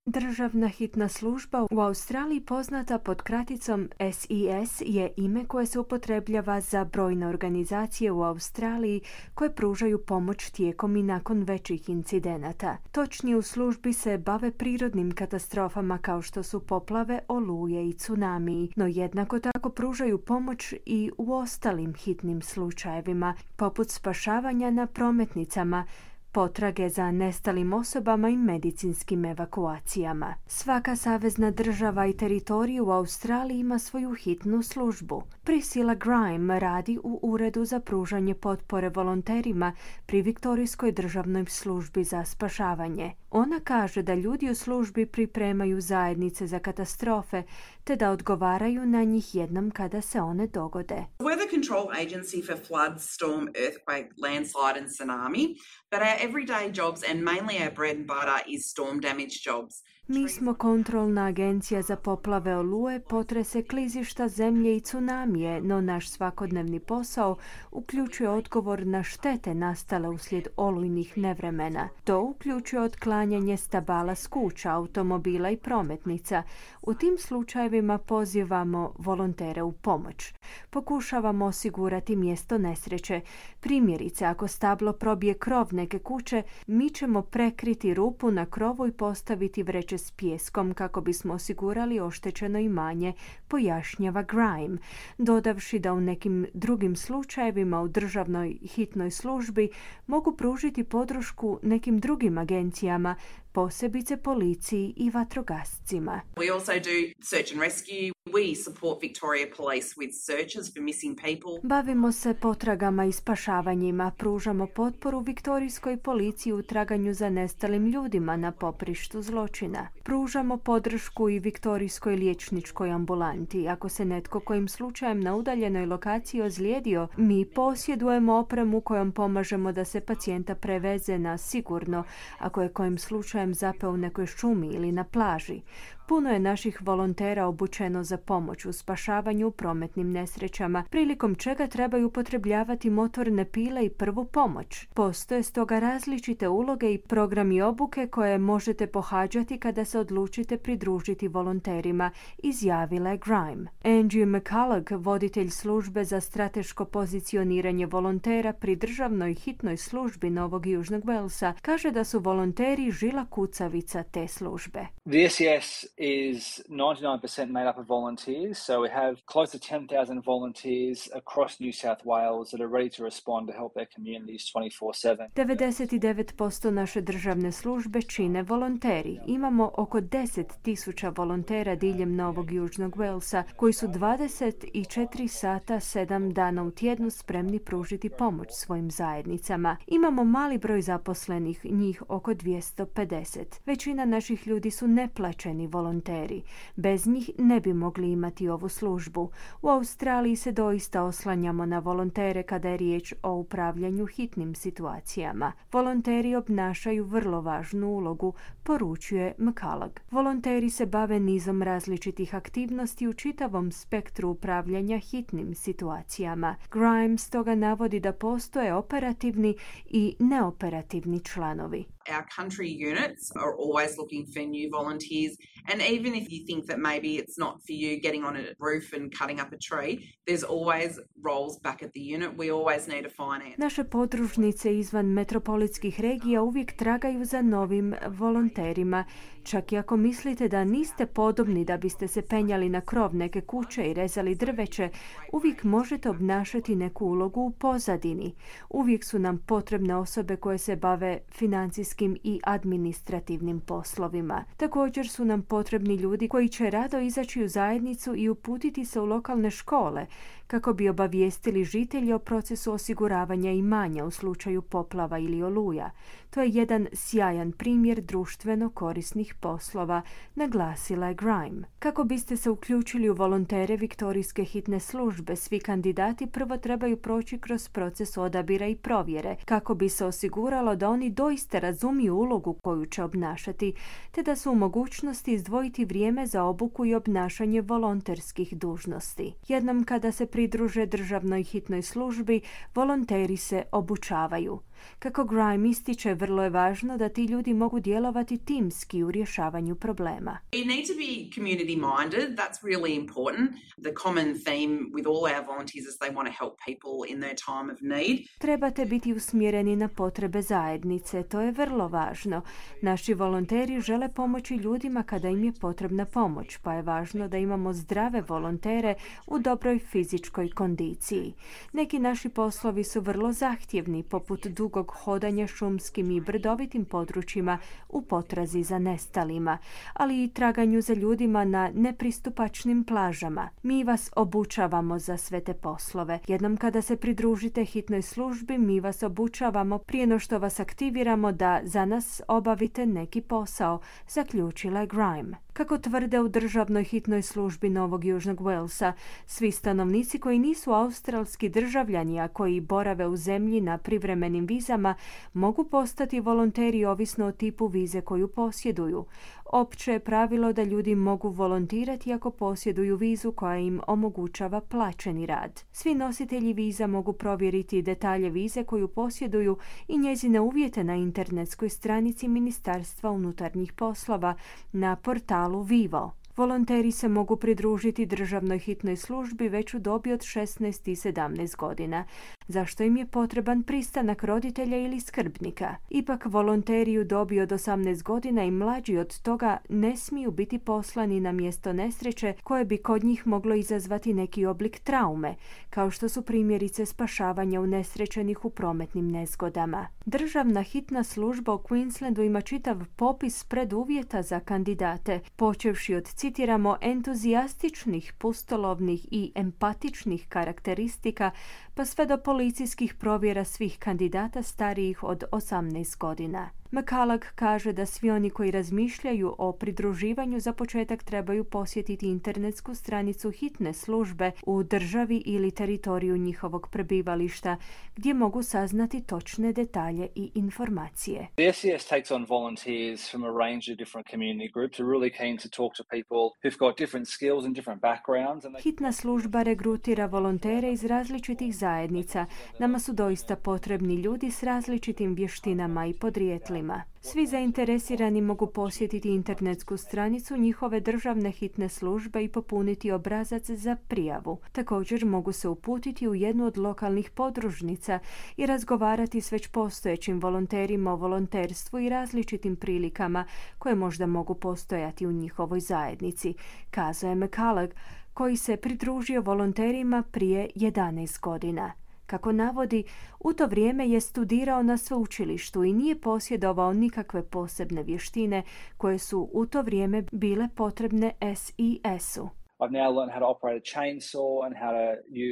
Državna hitna služba u Australiji poznata pod kraticom SES je ime koje se upotrebljava za brojne organizacije u Australiji koje pružaju pomoć tijekom i nakon većih incidenata. Točnije u službi se bave prirodnim katastrofama kao što su poplave, oluje i tsunami, no jednako tako pružaju pomoć i u ostalim hitnim slučajevima, poput spašavanja na prometnicama, potrage za nestalim osobama i medicinskim evakuacijama. Svaka savezna država i teritorij u Australiji ima svoju hitnu službu. Priscilla Grime radi u Uredu za pružanje potpore volonterima pri Viktorijskoj državnoj službi za spašavanje. Ona kaže da ljudi u službi pripremaju zajednice za katastrofe te da odgovaraju na njih jednom kada se one dogode. We're the control agency for flood, storm, earthquake, landslide and tsunami, but our everyday jobs and mainly our bread and butter is storm damage jobs. Mi smo kontrolna agencija za poplave, oluje, potrese, klizišta, zemlje i tsunamije, no naš svakodnevni posao uključuje odgovor na štete nastale uslijed olujnih nevremena. To uključuje otklanjanje stabala s kuća, automobila i prometnica. U tim slučajevima pozivamo volontere u pomoć. Pokušavamo osigurati mjesto nesreće. Primjerice, ako stablo probije krov neke kuće, mi ćemo prekriti rupu na krovu i postaviti vreće s pijeskom kako bismo osigurali oštećeno imanje, pojašnjava Grime, dodavši da u nekim drugim slučajevima u državnoj hitnoj službi mogu pružiti podršku nekim drugim agencijama, posebice policiji i vatrogascima. We also do search and rescue. We support Victoria Police with searches for missing people. Bavimo se potragama i spašavanjima, pružamo potporu Viktorijskoj policiji u traganju za nestalim ljudima na poprištu zločina. Pružamo podršku i Viktorijskoj liječničkoj ambulanti. Ako se netko kojim slučajem na udaljenoj lokaciji ozlijedio, mi posjedujemo opremu kojom pomažemo da se pacijenta preveze na sigurno, ako je kojim slučajem zapeo u nekoj šumi ili na plaži. Puno je naših volontera obučeno za pomoć u spašavanju u prometnim nesrećama, prilikom čega trebaju upotrebljavati motorne pile i prvu pomoć. Postoje stoga različite uloge i programi obuke koje možete pohađati kada se odlučite pridružiti volonterima, izjavila je Grime. Angie McCulloch, voditelj službe za strateško pozicioniranje volontera pri državnoj hitnoj službi Novog Južnog Walesa, kaže da su volonteri žila kucavica te službe. The SES is 99% made up of volunteers, so we have close to 10,000 volunteers across New South Wales that are ready to respond to help their communities 24/7. 99% naše državne službe čine volonteri. Imamo oko 10,000 volontera diljem Novog Južnog Walesa koji su 24 sata 7 dana u tjednu spremni pružiti pomoć svojim zajednicama. Imamo mali broj zaposlenih, njih oko 250. Većina naših ljudi su neplaćeni volonteri. Bez njih ne bi mogli imati ovu službu. U Australiji se doista oslanjamo na volontere kada je riječ o upravljanju hitnim situacijama. Volonteri obnašaju vrlo važnu ulogu, poručuje McCulloch. Volonteri se bave nizom različitih aktivnosti u čitavom spektru upravljanja hitnim situacijama. Grime stoga navodi da postoje operativni i neoperativni članovi. Our country units are always looking for new volunteers, and even if you think that maybe it's not for you getting on a roof and cutting up a tree, there's always roles back at the unit. We always need a finance. Naše podružnice izvan metropolitskih regija uvijek tragaju za novim volonterima. Čak i ako mislite da niste podobni da biste se penjali na krov neke kuće i rezali drveće, uvijek možete obnašati neku ulogu u pozadini. Uvijek su nam potrebne osobe koje se bave financijskim i administrativnim poslovima. Također su nam potrebni ljudi koji će rado izaći u zajednicu i uputiti se u lokalne škole kako bi obavijestili žitelje o procesu osiguravanja imanja u slučaju poplava ili oluja. To je jedan sjajan primjer društveno korisnih poslova, naglasila je Grime. Kako biste se uključili u volontere Viktorijske hitne službe, svi kandidati prvo trebaju proći kroz proces odabira i provjere, kako bi se osiguralo da oni doista razumiju ulogu koju će obnašati, te da su u mogućnosti izdvojiti vrijeme za obuku i obnašanje volonterskih dužnosti. Jednom kada se pridruže državnoj hitnoj službi, volonteri se obučavaju. Kako Grime ističe, vrlo je važno da ti ljudi mogu djelovati timski u rješavanju problema. You need to be community minded. That's really important. The common theme with all our volunteers is they want to help people in their time of need. Trebate biti usmjereni na potrebe zajednice. To je vrlo važno. Naši volonteri žele pomoći ljudima kada im je potrebna pomoć, pa je važno da imamo zdrave volontere u dobroj fizičkoj kondiciji. Neki naši poslovi su vrlo zahtjevni, poput dugog dugog hodanja šumskim i brdovitim područjima u potrazi za nestalima, ali i traganju za ljudima na nepristupačnim plažama. Mi vas obučavamo za sve te poslove. Jednom kada se pridružite hitnoj službi, mi vas obučavamo prije no što vas aktiviramo da za nas obavite neki posao, zaključila je Grime. Kako tvrde u državnoj hitnoj službi Novog Južnog Walesa, svi stanovnici koji nisu australski državljani, a koji borave u zemlji na privremenim vizama, mogu postati volonteri ovisno o tipu vize koju posjeduju. Opće je pravilo da ljudi mogu volontirati ako posjeduju vizu koja im omogućava plaćeni rad. Svi nositelji viza mogu provjeriti detalje vize koju posjeduju i njezine uvjete na internetskoj stranici Ministarstva unutarnjih poslova na portalu Vivo. Volonteri se mogu pridružiti državnoj hitnoj službi već u dobi od 16 i 17 godina, zašto im je potreban pristanak roditelja ili skrbnika. Ipak volonteri u dobi od 18 godina i mlađi od toga ne smiju biti poslani na mjesto nesreće koje bi kod njih moglo izazvati neki oblik traume, kao što su primjerice spašavanja unesrećenih u prometnim nezgodama. Državna hitna služba u Queenslandu ima čitav popis preduvjeta za kandidate, počevši od, citiramo, entuzijastičnih, pustolovnih i empatičnih karakteristika, pa sve do policijskih provjera svih kandidata starijih od 18 godina. McCullough kaže da svi oni koji razmišljaju o pridruživanju za početak trebaju posjetiti internetsku stranicu hitne službe u državi ili teritoriju njihovog prebivališta, gdje mogu saznati točne detalje i informacije. The SCS takes on volunteers from a range of different community groups. We're really keen to talk to people who've got different skills and different backgrounds. Hitna služba regrutira volontere iz različitih zajednica. Nama su doista potrebni ljudi s različitim vještinama i podrijetlima. Svi zainteresirani mogu posjetiti internetsku stranicu njihove državne hitne službe i popuniti obrazac za prijavu. Također mogu se uputiti u jednu od lokalnih podružnica i razgovarati s već postojećim volonterima o volonterstvu i različitim prilikama koje možda mogu postojati u njihovoj zajednici, kazao je McCullough, koji se pridružio volonterima prije 11 godina. Kako navodi, u to vrijeme je studirao na sveučilištu i nije posjedovao nikakve posebne vještine koje su u to vrijeme bile potrebne SES-u. I've now learned how to operate a chainsaw and how to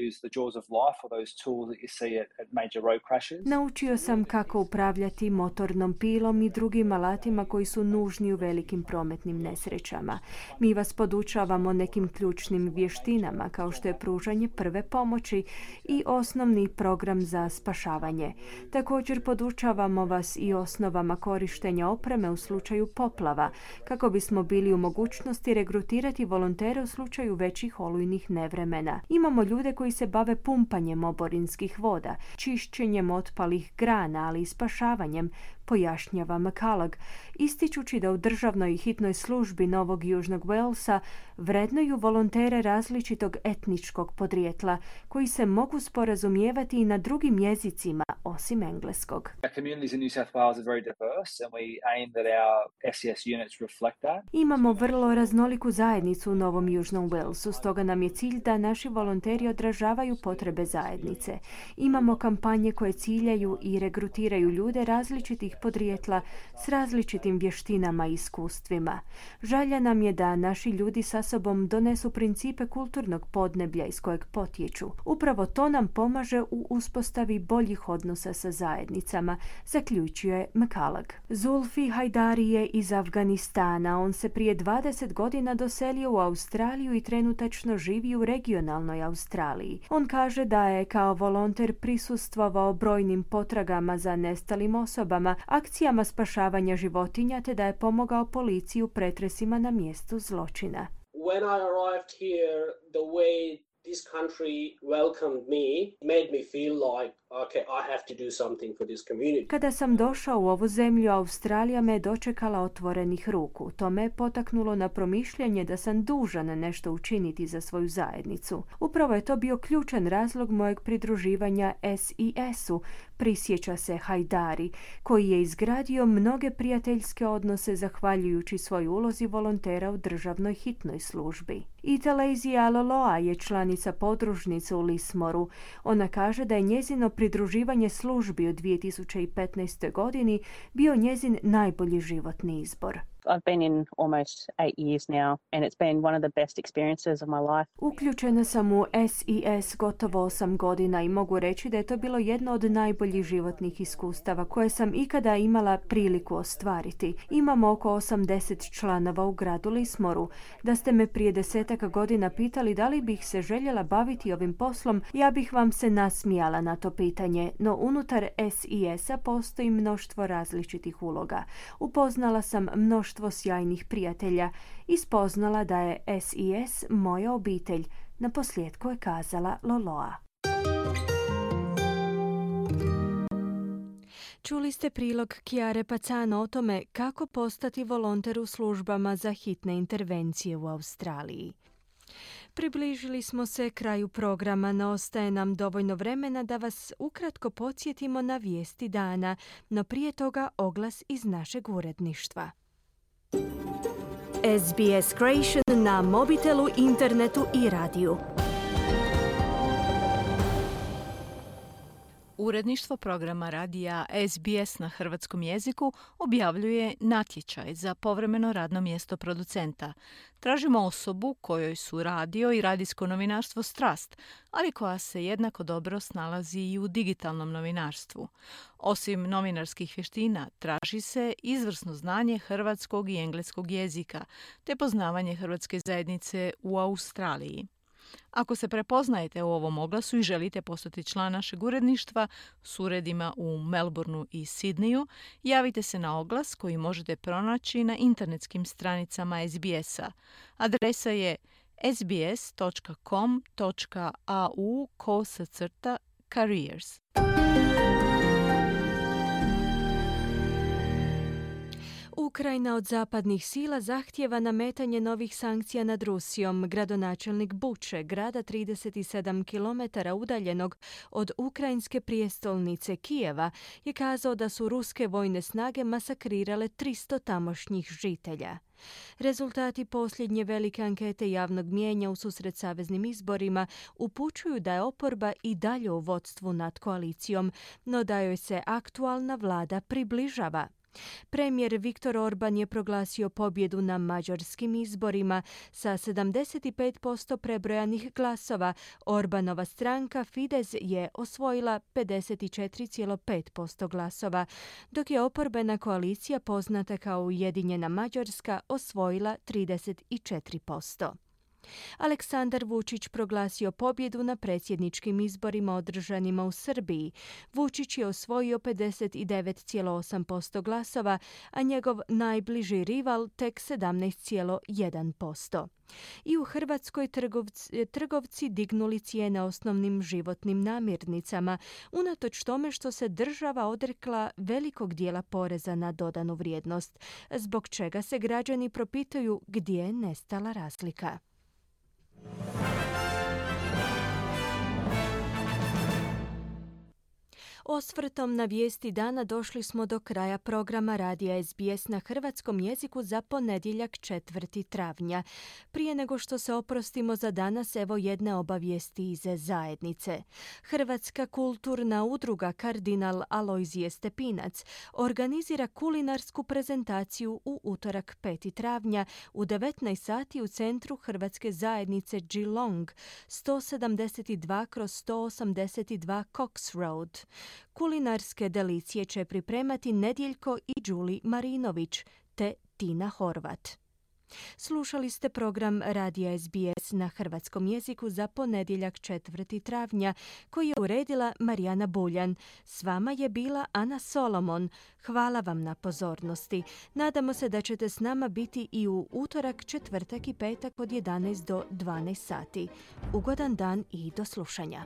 use the jaws of life, or those tools that you see at major road crashes. Naučio sam kako upravljati motornom pilom i drugim alatima koji su nužni u velikim prometnim nesrećama. Mi vas podučavamo nekim ključnim vještinama kao što je pružanje prve pomoći i osnovni program za spašavanje. Također podučavamo vas i osnovama korištenja opreme u slučaju poplava, kako bismo bili u mogućnosti regrutirati volontere u slučaju većih olujnih nevremena. Imamo ljude koji se bave pumpanjem oborinskih voda, čišćenjem otpalih grana, ali i spašavanjem, pojašnjava McCullough, ističući da u državnoj hitnoj službi Novog Južnog Walesa vrednuju volontere različitog etničkog podrijetla koji se mogu sporazumijevati i na drugim jezicima osim engleskog. Imamo vrlo raznoliku zajednicu u Novom Južnom Walesu, stoga nam je cilj da naši volonteri odražavaju potrebe zajednice. Imamo kampanje koje ciljaju i regrutiraju ljude različitih podrijetla s različitim vještinama i iskustvima. Želja nam je da naši ljudi sa sobom donesu principe kulturnog podneblja iz kojeg potječu. Upravo to nam pomaže u uspostavi boljih odnosa sa zajednicama, zaključuje McCullough. Zulfi Hajdari je iz Afganistana. On se prije 20 godina doselio u Australiju i trenutačno živi u regionalnoj Australiji. On kaže da je kao volonter prisustvovao brojnim potragama za nestalim osobama, akcijama spašavanja životinja te da je pomogao policiji u pretresima na mjestu zločina. When I arrived here, the way this country welcomed me made me feel like, okay, I have to do something for this community. Kada sam došao u ovu zemlju, Australija me je dočekala otvorenih ruku. To me je potaknulo na promišljanje da sam dužan nešto učiniti za svoju zajednicu. Upravo je to bio ključan razlog mojeg pridruživanja SES-u, prisjeća se Hajdari, koji je izgradio mnoge prijateljske odnose zahvaljujući svoj ulozi volontera u državnoj hitnoj službi. Italezija Loloa je članica podružnice u Lismoru. Ona kaže da je njezino pridruživanje službi u 2015. godini bio njezin najbolji životni izbor. I've been in almost 8 years now and it's been one of the best experiences of my life. Uključena sam u SES gotovo 8 godina i mogu reći da je to bilo jedno od najboljih životnih iskustava koje sam ikada imala priliku ostvariti. Imamo oko 80 članova u gradu Lismoru. Da ste me prije 10 godina pitali da li bih se željela baviti ovim poslom, ja bih vam se nasmijala na to pitanje, no unutar SES-a postoji mnoštvo različitih uloga. Upoznala sam mnoštvo sjajnih prijatelja i spoznala da je SES moja obitelj, naposljetku je kazala Loloa. Čuli ste prilog Chiare Pacano o tome kako postati volonter u službama za hitne intervencije u Australiji. Približili smo se kraju programa, no ostaje nam dovoljno vremena da vas ukratko podsjetimo na vijesti dana, no prije toga oglas iz našeg uredništva. SBS Creation na mobitelu, internetu i radiju. Uredništvo programa radija SBS na hrvatskom jeziku objavljuje natječaj za povremeno radno mjesto producenta. Tražimo osobu kojoj su radio i radijsko novinarstvo strast, ali koja se jednako dobro snalazi i u digitalnom novinarstvu. Osim novinarskih vještina, traži se izvrsno znanje hrvatskog i engleskog jezika, te poznavanje hrvatske zajednice u Australiji. Ako se prepoznajete u ovom oglasu i želite postati član našeg uredništva s uredima u Melbourneu i Sidneju, javite se na oglas koji možete pronaći na internetskim stranicama SBS-a. Adresa je sbs.com.au/careers. Ukrajina od zapadnih sila zahtijeva nametanje novih sankcija nad Rusijom. Gradonačelnik Buče, grada 37 km udaljenog od ukrajinske prijestolnice Kijeva, je kazao da su ruske vojne snage masakrirale 300 tamošnjih žitelja. Rezultati posljednje velike ankete javnog mijenja u susret saveznim izborima upućuju da je oporba i dalje u vodstvu nad koalicijom, no da joj se aktualna vlada približava. Premijer Viktor Orban je proglasio pobjedu na mađarskim izborima sa 75% prebrojanih glasova. Orbanova stranka Fidesz je osvojila 54,5% glasova, dok je oporbena koalicija poznata kao Ujedinjena Mađarska osvojila 34%. Aleksandar Vučić proglasio pobjedu na predsjedničkim izborima održanima u Srbiji. Vučić je osvojio 59,8% glasova, a njegov najbliži rival tek 17,1%. I u Hrvatskoj trgovci dignuli cijene osnovnim životnim namirnicama, unatoč tome što se država odrekla velikog dijela poreza na dodanu vrijednost, zbog čega se građani propituju gdje je nestala razlika. Osvrtom na vijesti dana došli smo do kraja programa radija SBS na hrvatskom jeziku za ponedjeljak 4. travnja. Prije nego što se oprostimo za danas, evo jedne obavijesti iz zajednice. Hrvatska kulturna udruga Kardinal Alojzije Stepinac organizira kulinarsku prezentaciju u utorak 5. travnja u 19 sati u centru Hrvatske zajednice Geelong, 172/182 Cox Road. Kulinarske delicije će pripremati Nedjeljko i Đuli Marinović te Tina Horvat. Slušali ste program radija SBS na hrvatskom jeziku za ponedjeljak 4. travnja koji je uredila Marijana Buljan. S vama je bila Ana Solomon. Hvala vam na pozornosti. Nadamo se da ćete s nama biti i u utorak, četvrtak i petak od 11 do 12 sati. Ugodan dan i do slušanja.